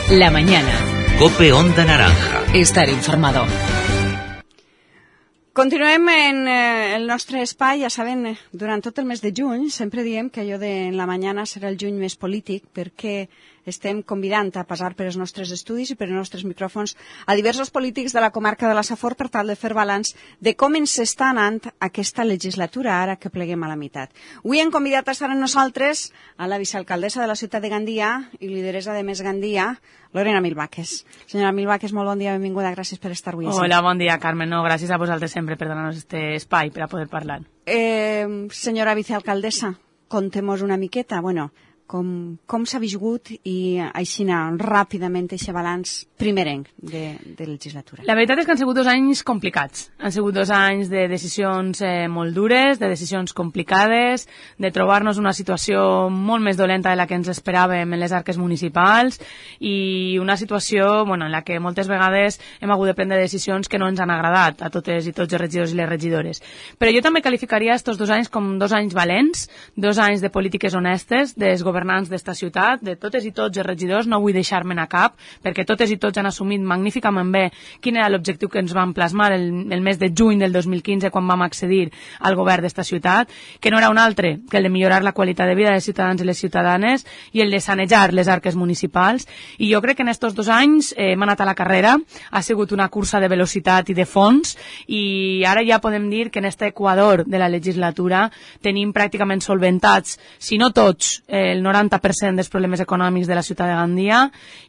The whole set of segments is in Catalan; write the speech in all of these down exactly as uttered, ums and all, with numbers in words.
La mañana. COPE Onda Naranja. Estar informado. Continuem en eh, el nostre espai. Ja saben, durant tot el mes de juny sempre diem que allò de la mañana serà el juny més polític, perquè estem convidant a passar per els nostres estudis i per els nostres micròfons a diversos polítics de la comarca de la Safor per tal de fer balanç de com ens està anant aquesta legislatura ara que pleguem a la meitat. Avui hem convidat a estar amb nosaltres a la vicealcaldessa de la ciutat de Gandia i lideresa de Més Gandia, Lorena Milvaques. Senyora Milvaques, molt bon dia, benvinguda, gràcies per estar avui. Hola, bon dia, Carmen. No, gràcies a vosaltres sempre per donar-nos este espai per a poder parlar. Eh, senyora vicealcaldessa, contem-nos una miqueta, bueno, com, com s'ha viscut i aixina ràpidament aquest balanç primerenc de, de legislatura. La veritat és que han sigut dos anys complicats. Han sigut dos anys de decisions eh, molt dures, de decisions complicades, de trobar-nos una situació molt més dolenta de la que ens esperàvem en les arques municipals i una situació bueno, en la que moltes vegades hem hagut de prendre decisions que no ens han agradat a totes i tots els regidors i les regidores. Però jo també qualificaria estos dos anys com dos anys valents, dos anys de polítiques honestes, dels governants d'esta ciutat, de totes i tots els regidors, no vull deixar-me'n a cap, perquè totes i tots han assumit magníficament bé quin era l'objectiu que ens van plasmar el, el mes de juny del dos mil quinze quan vam accedir al govern d'esta ciutat, que no era un altre que el de millorar la qualitat de vida dels ciutadans i les ciutadanes i el de sanejar les arques municipals. I jo crec que en estos dos anys eh, hem anat a la carrera, ha sigut una cursa de velocitat i de fons i ara ja podem dir que en este equador de la legislatura tenim pràcticament solventats, si no tots, eh, el noranta per cent dels problemes econòmics de la ciutat de Gandia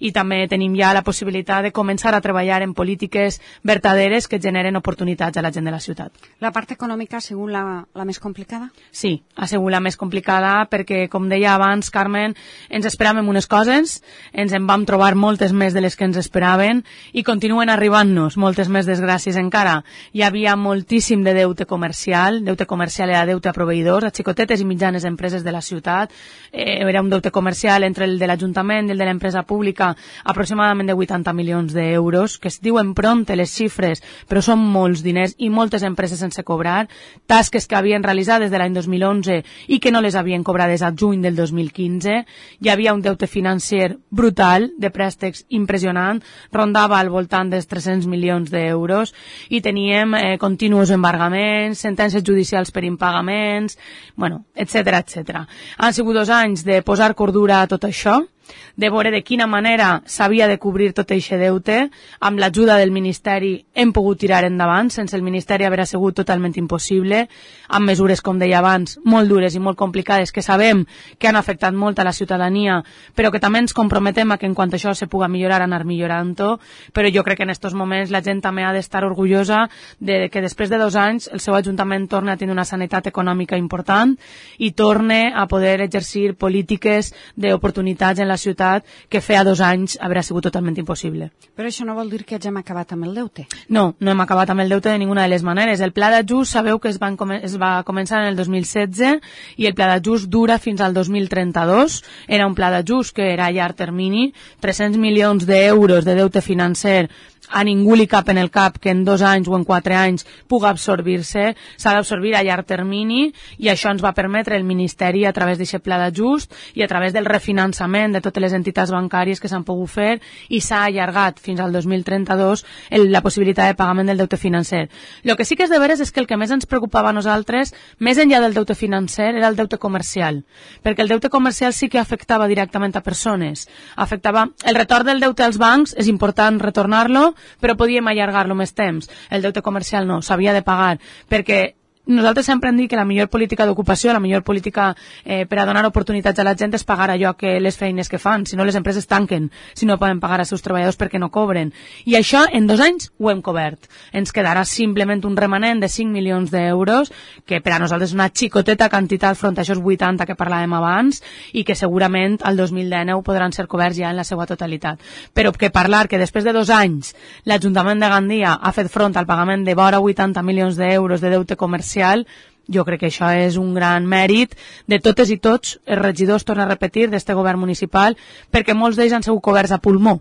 i també tenim ja la possibilitat de començar a treballar en polítiques verdaderes que generen oportunitats a la gent de la ciutat. La part econòmica ha sigut la, la més complicada? Sí, ha sigut la més complicada perquè, com deia abans, Carmen, ens esperàvem unes coses, ens en vam trobar moltes més de les que ens esperaven i continuen arribant-nos moltes més desgràcies encara. Hi havia moltíssim de deute comercial, deute comercial era deute a proveïdors, a xicotetes i mitjanes empreses de la ciutat, eh, era un deute comercial entre el de l'Ajuntament i el de l'empresa pública aproximadament de vuitanta milions d'euros, que es diuen pronte les xifres, però són molts diners i moltes empreses sense cobrar, tasques que havien realitzat des de l'any dos mil onze i que no les havien cobrades a juny del dos mil quinze. Hi havia un deute financer brutal, de préstecs impressionant, rondava al voltant dels tres-cents milions d'euros i teníem eh, continus embargaments, sentències judicials per impagaments, bueno, etcètera, etcètera. Han sigut dos anys de posar cordura a tot això, de veure de quina manera s'havia de cobrir tot aquest deute. Amb l'ajuda del Ministeri hem pogut tirar endavant, sense el Ministeri haver sigut totalment impossible, amb mesures, com deia abans, molt dures i molt complicades, que sabem que han afectat molt a la ciutadania, però que també ens comprometem a que en quant a això se puga millorar, anar millorant-ho, però jo crec que en aquests moments la gent també ha d'estar orgullosa de que després de dos anys el seu Ajuntament torna a tenir una sanitat econòmica important i torne a poder exercir polítiques d'oportunitats en la ciutat que feia dos anys haurà sigut totalment impossible. Però això no vol dir que ja hem acabat amb el deute? No, no hem acabat amb el deute de ninguna de les maneres. El pla d'ajust sabeu que es, van, es va començar en el dos mil setze i el pla d'ajust dura fins al dos mil trenta-dos. Era un pla d'ajust que era a llarg termini, tres-cents milions d'euros de deute financer. A ningú li cap en el cap que en dos anys o en quatre anys puga absorbir-se, s'ha d'absorbir a llarg termini i això ens va permetre el Ministeri a través d'aquest pla d'ajust i a través del refinançament de totes les entitats bancàries que s'han pogut fer i s'ha allargat fins al dos mil trenta-dos el, la possibilitat de pagament del deute financer. El que sí que és de veres és que el que més ens preocupava a nosaltres, més enllà del deute financer, era el deute comercial, perquè el deute comercial sí que afectava directament a persones. Afectava el retorn del deute als bancs, és important retornar-lo, però podíem allargar-lo més temps. El deute comercial no, s'havia de pagar, perquè nosaltres sempre hem dit que la millor política d'ocupació, la millor política eh, per a donar oportunitats a la gent és pagar allò que les feines que fan, si no les empreses tanquen, si no poden pagar als seus treballadors perquè no cobren. I això en dos anys ho hem cobert. Ens quedarà simplement un remanent de cinc milions d'euros, que per a nosaltres és una xicoteta quantitat front a això vuitanta que parlàvem abans i que segurament al dos mil dinou podran ser coberts ja en la seva totalitat. Però que parlar que després de dos anys l'Ajuntament de Gandia ha fet front al pagament de vora vuitanta milions d'euros de deute comercial, jo crec que això és un gran mèrit de totes i tots els regidors, torno a repetir, d'este govern municipal, perquè molts d'ells han sigut coberts a pulmó.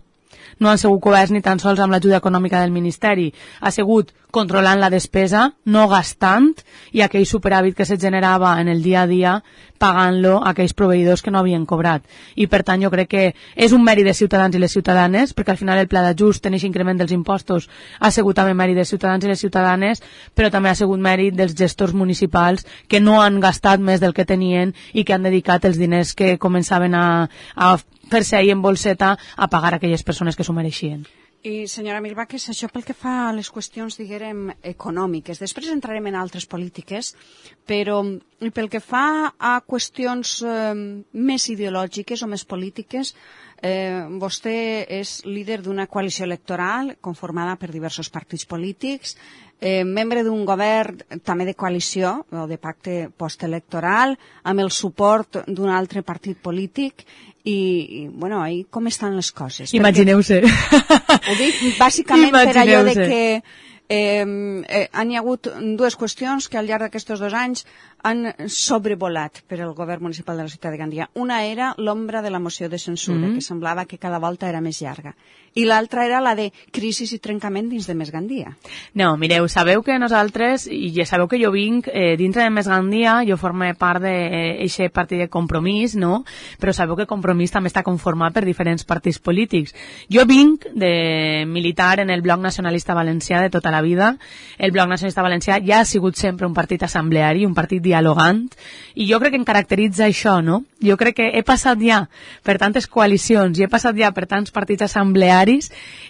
no han sigut coberts ni tan sols amb l'ajuda econòmica del Ministeri, ha sigut controlant la despesa, no gastant, i aquell superàvit que se generava en el dia a dia pagant-lo a aquells proveïdors que no havien cobrat. I per tant jo crec que és un mèrit de ciutadans i les ciutadanes, perquè al final el pla d'ajust en aquest increment dels impostos ha sigut també mèrit de ciutadans i les ciutadanes, però també ha sigut mèrit dels gestors municipals que no han gastat més del que tenien i que han dedicat els diners que començaven a, a fer-se ahir en bolseta a pagar a aquelles persones que s'ho mereixien. I, senyora Milbaques, això pel que fa a les qüestions, diguem, econòmiques. Després entrarem en altres polítiques, però pel que fa a qüestions eh, més ideològiques o més polítiques, eh, vostè és líder d'una coalició electoral conformada per diversos partits polítics, eh, membre d'un govern també de coalició o de pacte postelectoral, amb el suport d'un altre partit polític, i, i bueno, ahí com estan les coses? Imagineu-se. Ho dic bàsicament per allò de que eh, eh, han hi ha hagut dues qüestions que al llarg d'aquests dos anys han sobrevolat per el govern municipal de la ciutat de Gandia. Una era l'ombra de la moció de censura, mm-hmm. que semblava que cada volta era més llarga. I l'altra era la de crisi i trencament dins de Més Gandia. No, mireu, sabeu que nosaltres, i ja sabeu que jo vinc eh, dintre de Més Gandia, jo formé part d'aquest eh, partit de Compromís, no? Però sabeu que Compromís també està conformat per diferents partits polítics. Jo vinc de militar en el Bloc Nacionalista Valencià de tota la vida. El Bloc Nacionalista Valencià ja ha sigut sempre un partit assembleari, un partit dialogant, i jo crec que em caracteritza això, no? Jo crec que he passat ja per tantes coalicions i he passat ja per tants partits assemblearis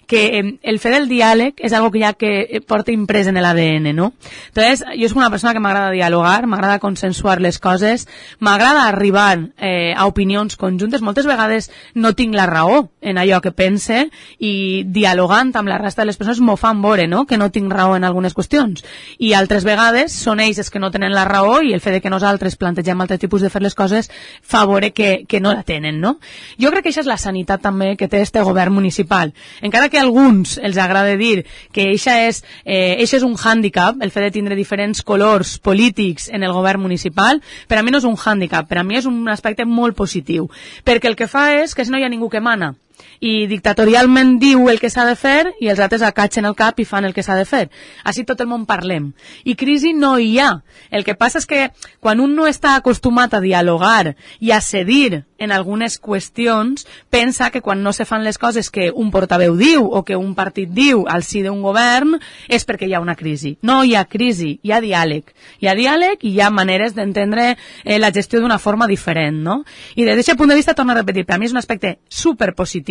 que eh, el fer del diàleg és algo que ja que porta imprès en l'A D N, no? Entonces, jo soc una persona que m'agrada dialogar, m'agrada consensuar les coses, m'agrada arribar eh, a opinions conjuntes. Moltes vegades no tinc la raó en allò que pense i dialogant amb la resta de les persones m'ho fan veure, no? Que no tinc raó en algunes qüestions. I altres vegades són ells els que no tenen la raó i el fet de que nosaltres plantegem altres tipus de fer les coses fa veure que, que no la tenen, no? Jo crec que això és la sanitat també que té este govern municipal. Encara que a alguns els agrada dir que això és, eh, és un hàndicap, el fet de tindre diferents colors polítics en el govern municipal, per a mi no és un hàndicap, per a mi és un aspecte molt positiu, perquè el que fa és que si no hi ha ningú que mana, i dictatorialment diu el que s'ha de fer i els altres acatxen el cap i fan el que s'ha de fer. Així tot el món parlem. I crisi no hi ha. El que passa és que quan un no està acostumat a dialogar i a cedir en algunes qüestions, pensa que quan no se fan les coses que un portaveu diu o que un partit diu al si d'un govern és perquè hi ha una crisi. No hi ha crisi, hi ha diàleg. Hi ha diàleg i hi ha maneres d'entendre eh, la gestió d'una forma diferent, no? I des d'aquest punt de vista, torno a repetir, per a mi és un aspecte superpositiu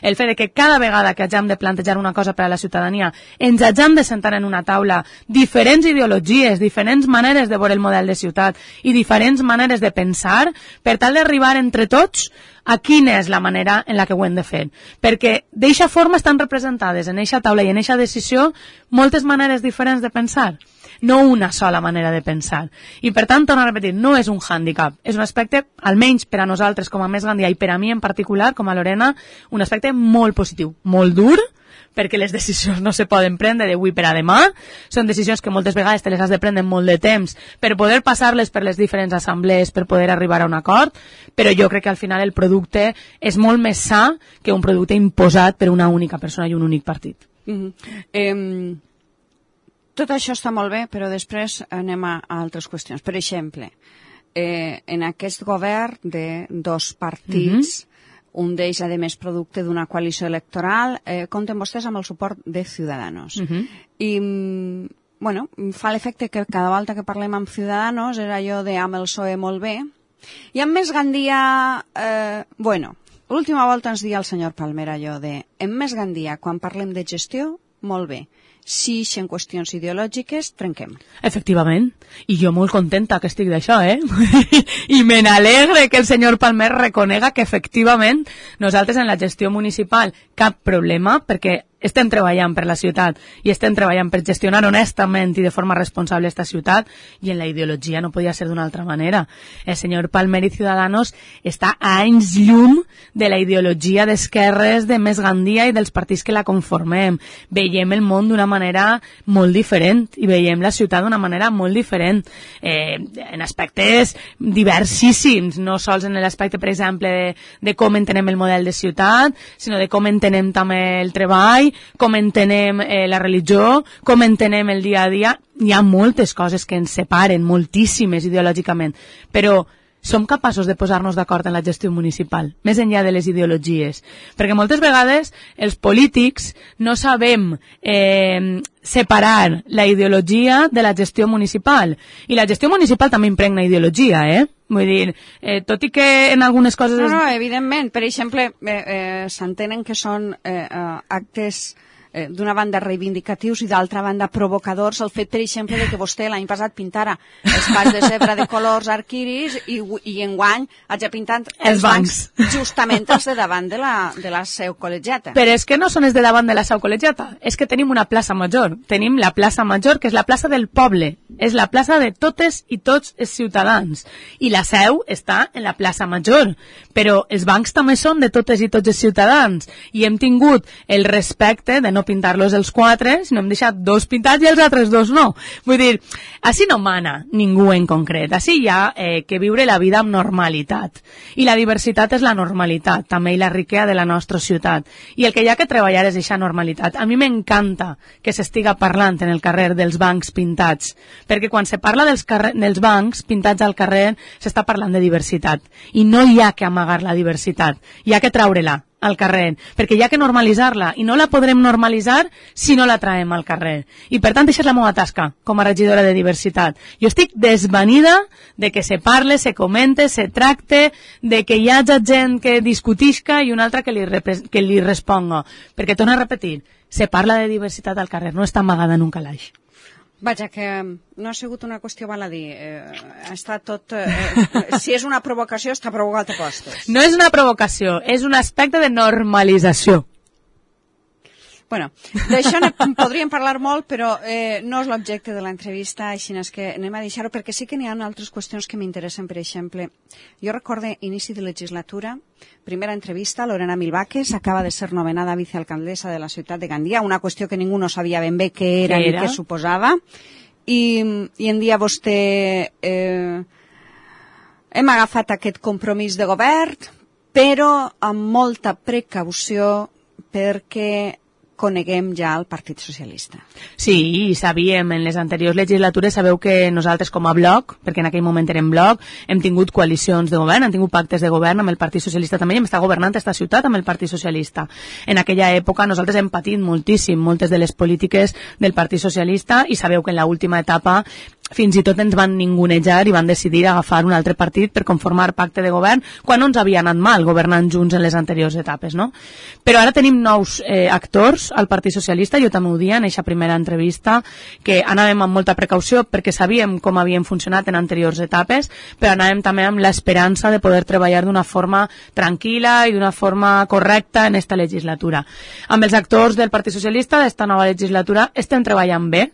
el fet de que cada vegada que hagem de plantejar una cosa per a la ciutadania ens hagem de sentar en una taula diferents ideologies, diferents maneres de veure el model de ciutat i diferents maneres de pensar per tal d'arribar entre tots a quina és la manera en la que ho hem de fer. Perquè d'eixa forma estan representades en eixa taula i en eixa decisió moltes maneres diferents de pensar, no una sola manera de pensar. I per tant, torno a repetir, no és un hàndicap, és un aspecte, almenys per a nosaltres com a Més Gandia i per a mi en particular, com a Lorena, un aspecte molt positiu, molt dur, perquè les decisions no se poden prendre d'avui per a demà, són decisions que moltes vegades te les has de prendre molt de temps per poder passar-les per les diferents assemblees, per poder arribar a un acord, però jo crec que al final el producte és molt més sa que un producte imposat per una única persona i un únic partit. Mm-hmm. eh, tot això està molt bé, però després anem a, a altres qüestions. Per exemple, eh, en aquest govern de dos partits, mm-hmm. un d'ells, a més, producte d'una coalició electoral, eh, compten vostès amb el suport de Ciudadanos. Uh-huh. I, bueno, fa l'efecte que cada volta que parlem amb Ciudadanos era allò de amb el P S O E molt bé. I amb Més Gandia, eh, bueno, l'última volta ens dia el senyor Palmer allò de en Més Gandia, quan parlem de gestió, molt bé. Si en qüestions ideològiques, trenquem. Efectivament. I jo molt contenta que estic d'això, eh? I me n'alegre que el senyor Palmer reconega que efectivament nosaltres en la gestió municipal cap problema, perquè estem treballant per la ciutat i estem treballant per gestionar honestament i de forma responsable esta ciutat, i en la ideologia no podia ser d'una altra manera. El senyor Palmer i Ciudadanos està a anys llum de la ideologia d'esquerres de Més Gandia i dels partits que la conformem. Veiem el món d'una manera molt diferent i veiem la ciutat d'una manera molt diferent, eh, en aspectes diversissíssims, no sols en l'aspecte, per exemple, de, de com entenem el model de ciutat, sinó de com entenem també el treball, com entenem eh, la religió, com entenem el dia a dia. Hi ha moltes coses que ens separen, moltíssimes ideològicament, però som capaços de posar-nos d'acord en la gestió municipal, més enllà de les ideologies. Perquè moltes vegades els polítics no sabem eh, separar la ideologia de la gestió municipal. I la gestió municipal també impregna ideologia, eh? Vull dir, eh, tot i que en algunes coses... No, no, evidentment. Per exemple, eh, eh, s'entenen que són eh, eh, actes... d'una banda reivindicatius i d'altra banda provocadors, el fet, per exemple, de que vostè l'any passat pintara els pas de zebra de colors arquiris i, i enguany hagi pintat els, els bancs. bancs justament els de davant de la, de la seu col·legiata. Però és que no són els de davant de la seu col·legiata, és que tenim una plaça major, tenim la plaça major, que és la plaça del poble, és la plaça de totes i tots els ciutadans, i la seu està en la plaça major, però els bancs també són de totes i tots els ciutadans, i hem tingut el respecte de no pintar-los els quatre, sinó hem deixat dos pintats i els altres dos no. Vull dir, així no mana ningú en concret, així hi ha eh, que viure la vida amb normalitat. I la diversitat és la normalitat, també, i la riquesa de la nostra ciutat. I el que hi ha que treballar és aquesta normalitat. A mi m'encanta que s'estiga parlant en el carrer dels bancs pintats, perquè quan se parla dels, carrer, dels bancs pintats al carrer s'està parlant de diversitat. I no hi ha que amagar la diversitat, hi ha que traure-la al carrer, perquè hi ha que normalitzar-la, i no la podrem normalitzar si no la traiem al carrer. I per tant, això és la meva tasca com a regidora de diversitat. Jo estic desvanida de que se parle, se comente, se tracte, de que hi hagi gent que discutisca i una altra que li, que li responga. Perquè, torno a repetir, se parla de diversitat al carrer, no està amagada en un calaix. Vaja, que no ha sigut una qüestió baladí. Eh, està tot... Eh, si és una provocació, està provocat a postes. No és una provocació, és un aspecte de normalització. Bueno, d'això ne podríem parlar molt, però eh, no és l'objecte de l'entrevista, així és que anem a deixar-ho, perquè sí que n'hi ha altres qüestions que m'interessen. Per exemple, jo recorde inici de legislatura, primera entrevista, Lorena Milvaques acaba de ser nomenada vicealcaldessa de la ciutat de Gandia, una qüestió que ningú no sabia ben bé què era ni què suposava, i, i en dia vostè eh, hem agafat aquest compromís de govern, però amb molta precaució, perquè coneguem ja el Partit Socialista. Sí, sabíem, en les anteriors legislatures sabeu que nosaltres com a bloc, perquè en aquell moment érem bloc, hem tingut coalicions de govern, hem tingut pactes de govern amb el Partit Socialista també, i hem estat governant aquesta ciutat amb el Partit Socialista. En aquella època nosaltres hem patit moltíssim moltes de les polítiques del Partit Socialista, i sabeu que en l'última etapa fins i tot ens van ningunejar i van decidir agafar un altre partit per conformar pacte de govern, quan no ens havia anat mal governant junts en les anteriors etapes, no? Però ara tenim nous eh, actors al Partit Socialista, jo també ho dia en aquesta primera entrevista, que anàvem amb molta precaució perquè sabíem com havien funcionat en anteriors etapes, però anàvem també amb l'esperança de poder treballar d'una forma tranquil·la i d'una forma correcta en esta legislatura. Amb els actors del Partit Socialista d'esta nova legislatura estem treballant bé,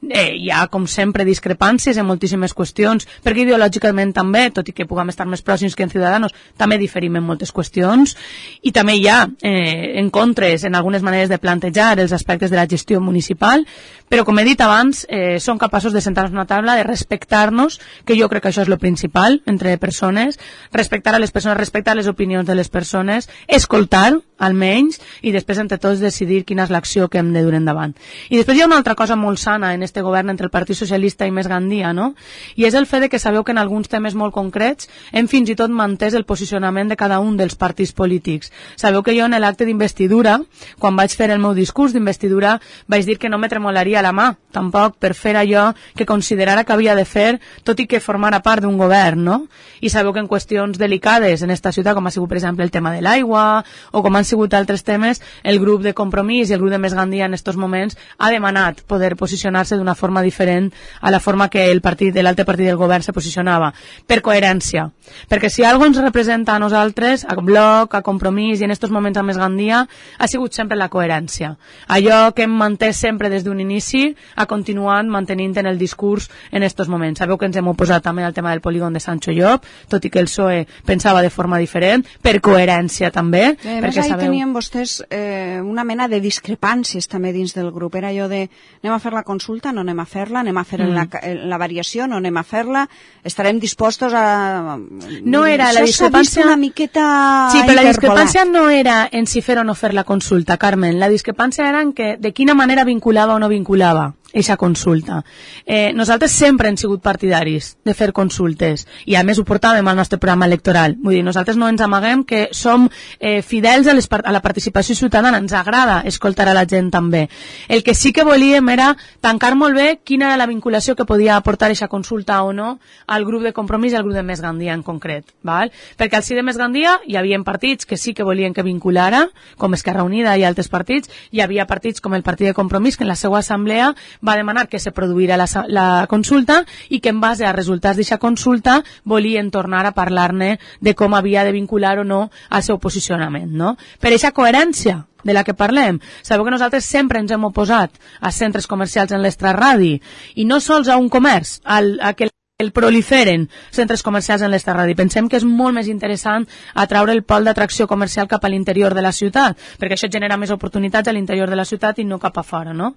eh, hi ha com sempre discrepàncies en moltíssimes qüestions, perquè ideològicament també, tot i que puguem estar més pròxims que en Ciudadanos, també diferim en moltes qüestions, i també hi ha eh, encontres en algunes maneres de plantejar els aspectes de la gestió municipal, però com he dit abans, eh, som capaços de sentar-nos a una taula, de respectar-nos, que jo crec que això és lo principal entre persones, respectar a les persones, respectar les opinions de les persones, escoltar, almenys, i després entre tots decidir quina és l'acció que hem de dur endavant. I després hi ha una altra cosa molt sana en este govern entre el Partit Socialista i Més Gandia, no? I és el fet de que sabeu que en alguns temes molt concrets hem fins i tot mantès el posicionament de cada un dels partits polítics. Sabeu que jo en l'acte d'investidura, quan vaig fer el meu discurs d'investidura, vaig dir que no me tremolaria la mà, tampoc per fer allò que considerara que havia de fer, tot i que formara part d'un govern, no? I sabeu que en qüestions delicades en esta ciutat, com ha sigut per exemple el tema de l'aigua, o com han sigut altres temes, el grup de Compromís i el grup de Més Gandia en estos moments ha demanat poder posicionar-se d'una forma diferent a la forma que el partit, l'altre partit del govern se posicionava, per coherència. Perquè si algo ens representa a nosaltres, a Bloc, a Compromís i en estos moments a Més Gandia, ha sigut sempre la coherència. Allò que hem mantès sempre des d'un inici ha continuat mantenint en el discurs en estos moments. Sabeu que ens hem oposat també al tema del polígon de Sancho Llop, tot i que el P S O E pensava de forma diferent, per coherència també. I a més, ahí sabeu... tenien vostès eh, una mena de discrepàncies també dins del grup. Era allò de, anem a fer la consulta, no anem a fer-la, anem a fer mm. la, la variació, no anem a fer-la, estarem dispostos a... No era la discrepància... una miqueta sí, però la discrepància no era en si fer o no fer la consulta, Carmen. La discrepància era en que de quina manera vinculava o no vinculava eixa consulta. Eh, nosaltres sempre hem sigut partidaris de fer consultes i a més ho portàvem al nostre programa electoral. Vull dir, nosaltres no ens amaguem que som eh, fidels a, les, a la participació ciutadana, ens agrada escoltar a la gent també. El que sí que volíem era tancar molt bé quina era la vinculació que podia aportar eixa consulta o no al grup de Compromís i al grup de Més Gandia en concret. Val? Perquè al sí de Més Gandia hi havia partits que sí que volien que vinculara, com Esquerra Unida i altres partits, hi havia partits com el Partit de Compromís que en la seva assemblea va demanar que se produïra la, la consulta i que en base a resultats d'aquesta consulta volien tornar a parlar-ne de com havia de vincular o no al seu posicionament, no? Per aquesta coherència de la que parlem. Sabeu que nosaltres sempre ens hem oposat a centres comercials en l'extraradi i no sols a un comerç, al, a que el proliferen centres comercials en l'extraradi. Pensem que és molt més interessant atraure el pol d'atracció comercial cap a l'interior de la ciutat, perquè això genera més oportunitats a l'interior de la ciutat i no cap a fora, no?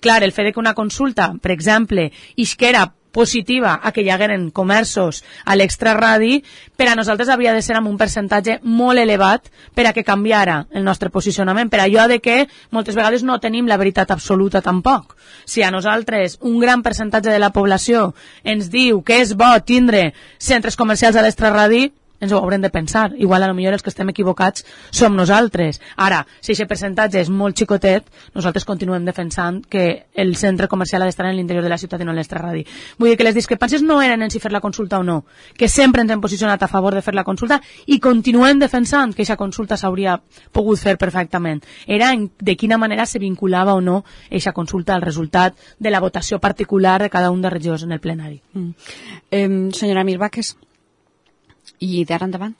Clar, el fet de que una consulta, per exemple, isquera positiva a que hi hagueren comerços a l'extraradi, per a nosaltres havia de ser amb un percentatge molt elevat per a que canviara el nostre posicionament, per allò de que moltes vegades no tenim la veritat absoluta tampoc. Si a nosaltres un gran percentatge de la població ens diu que és bo tindre centres comercials a l'extraradi, ens ho haurem de pensar. Igual a lo millor els que estem equivocats som nosaltres. Ara, si aquest percentatge és molt xicotet, nosaltres continuem defensant que el centre comercial ha d'estar en l'interior de la ciutat i no en l'extraradi. Vull dir que les discrepàncies no eren en si fer la consulta o no, que sempre ens hem posicionat a favor de fer la consulta i continuem defensant que aquesta consulta s'hauria pogut fer perfectament. Era en de quina manera se vinculava o no aquesta consulta al resultat de la votació particular de cada un de regidors en el plenari. Mm. Eh, senyora Mirbaques, i d'ara endavant?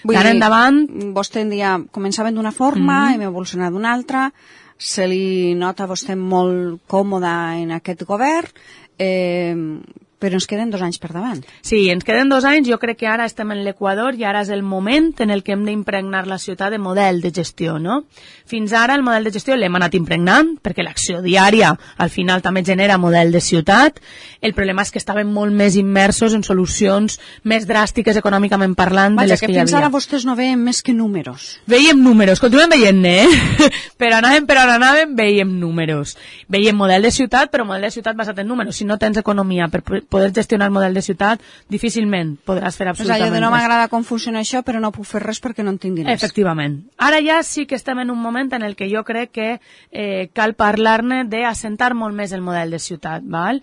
D'ara endavant... Vostè en dia començaven d'una forma, mm-hmm. hem evolucionat d'una altra, se li nota a vostè molt còmoda en aquest govern, eh, però ens queden dos anys per davant. Sí, ens queden dos anys, jo crec que ara estem en l'Equador i ara és el moment en el que hem d'impregnar la ciutat de model de gestió, no? Fins ara el model de gestió l'hem anat impregnant, perquè l'acció diària al final també genera model de ciutat. El problema és que estàvem molt més immersos en solucions més dràstiques econòmicament parlant Vaja, de les que, que hi havia. Fins ara vostès no veien més que números. Veiem números, continuem veient-ne, eh? Però anàvem per on anàvem, veiem números. Veiem model de ciutat, però model de ciutat basat en números. Si no tens economia per poder gestionar el model de ciutat, difícilment podràs fer absolutament res. O sigui, no res. m'agrada com funciona això, però no puc fer res perquè no en tinc diners. Efectivament. Ara ja sí que estem en un moment en el que jo crec que eh, cal parlar-ne d'assentar molt més el model de ciutat, val?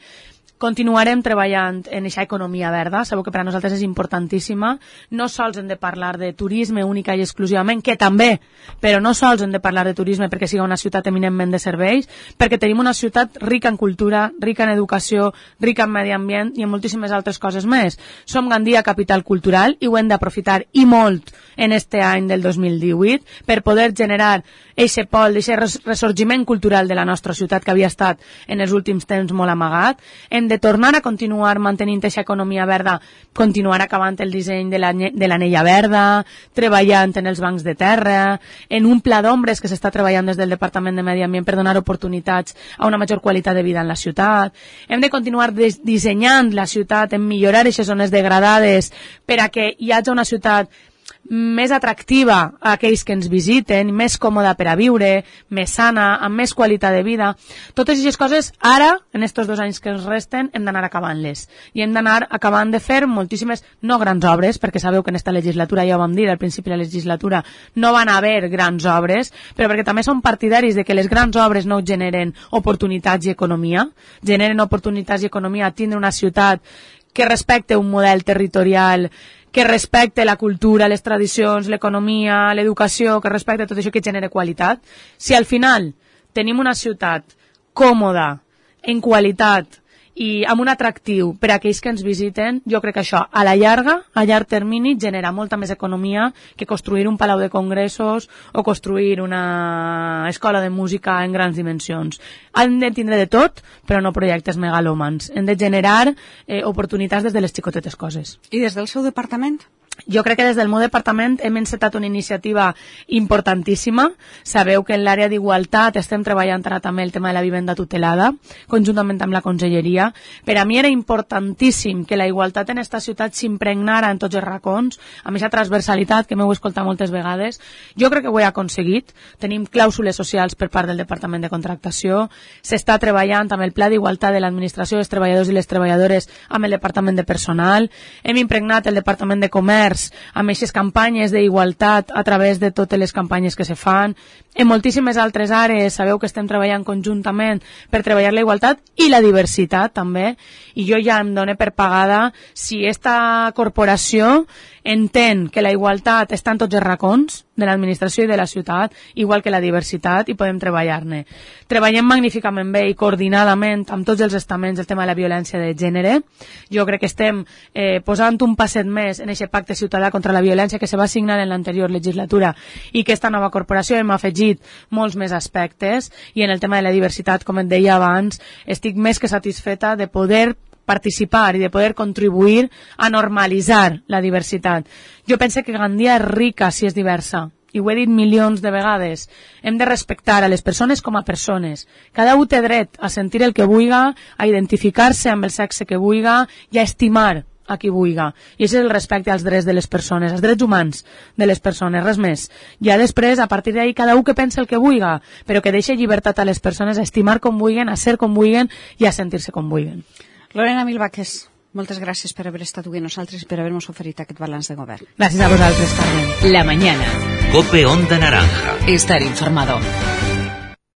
Continuarem treballant en aquesta economia verda, sabeu que per a nosaltres és importantíssima. No sols hem de parlar de turisme única i exclusivament, que també, però no sols hem de parlar de turisme perquè sigui una ciutat eminentment de serveis, perquè tenim una ciutat rica en cultura, rica en educació, rica en medi ambient i en moltíssimes altres coses més. Som Gandia capital cultural i ho hem d'aprofitar i molt en este any del dos mil divuit per poder generar eixe pol, eixe ressorgiment cultural de la nostra ciutat que havia estat en els últims temps molt amagat. Hem de tornar a continuar mantenint aquesta economia verda, continuar acabant el disseny de l'anella verda, treballant en els bancs de terra, en un pla d'ombres que s'està treballant des del Departament de Medi Ambient per donar oportunitats a una major qualitat de vida en la ciutat. Hem de continuar dissenyant la ciutat en millorar aquestes zones degradades per a que hi hagi una ciutat més atractiva a aquells que ens visiten, més còmoda per a viure, més sana, amb més qualitat de vida. Totes aquestes coses, ara, en estos dos anys que ens resten, hem d'anar acabant-les. I hem d'anar acabant de fer moltíssimes, no grans obres, perquè sabeu que en esta legislatura, ja ho vam dir al principi de la legislatura, no van haver grans obres, però perquè també som partidaris de que les grans obres no generen oportunitats i economia, generen oportunitats i economia a tindre una ciutat que respecte un model territorial que respecte la cultura, les tradicions, l'economia, l'educació, que respecte tot això que genera qualitat. Si al final tenim una ciutat còmoda, en qualitat i amb un atractiu per a aquells que ens visiten, jo crec que això a la llarga, a llarg termini, genera molta més economia que construir un palau de congressos o construir una escola de música en grans dimensions. Han de tindre de tot, però no projectes megalòmans. Hem de generar eh, oportunitats des de les xicotetes coses. I des del seu departament? Jo crec que des del meu departament hem encetat una iniciativa importantíssima. Sabeu que en l'àrea d'igualtat estem treballant ara també el tema de la vivenda tutelada, conjuntament amb la conselleria. Per a mi era importantíssim que la igualtat en esta ciutat s'impregnara en tots els racons, amb aquesta transversalitat que m'heu escoltat moltes vegades. Jo crec que ho he aconseguit. Tenim clàusules socials per part del Departament de Contractació. S'està treballant amb el Pla d'Igualtat de l'Administració dels Treballadors i les Treballadores amb el Departament de Personal. Hem impregnat el Departament de Comerç amb aquestes campanyes d'igualtat a través de totes les campanyes que se fan. En moltíssimes altres àrees sabeu que estem treballant conjuntament per treballar la igualtat i la diversitat també, i jo ja em dono per pagada si esta corporació entén que la igualtat està en tots els racons de l'administració i de la ciutat, igual que la diversitat, i podem treballar-ne. Treballem magníficament bé i coordinadament amb tots els estaments el tema de la violència de gènere. Jo crec que estem eh, posant un passet més en aquest pacte ciutadà contra la violència que se va signar en l'anterior legislatura i que esta nova corporació hem afegit molts més aspectes, i en el tema de la diversitat, com et deia abans, estic més que satisfeta de poder participar i de poder contribuir a normalitzar la diversitat. Jo penso que Gandia és rica si és diversa, i ho he dit milions de vegades. Hem de respectar a les persones com a persones. Cada un té dret a sentir el que vulga, a identificar-se amb el sexe que vulga i a estimar a qui vulga. I això és el respecte als drets de les persones, als drets humans de les persones, res més. Ja després, a partir d'ahí, cada un que pensa el que vulga, però que deixi llibertat a les persones a estimar com vulguen, a ser com vulguen i a sentir-se com vulguen. Lorena Milbaques, moltes gràcies per haver estat avui amb nosaltres i per haver-nos oferit aquest balanç de govern. Gràcies a vosaltres, Carmen. La mañana. Cope Onda Naranja. Estar informado.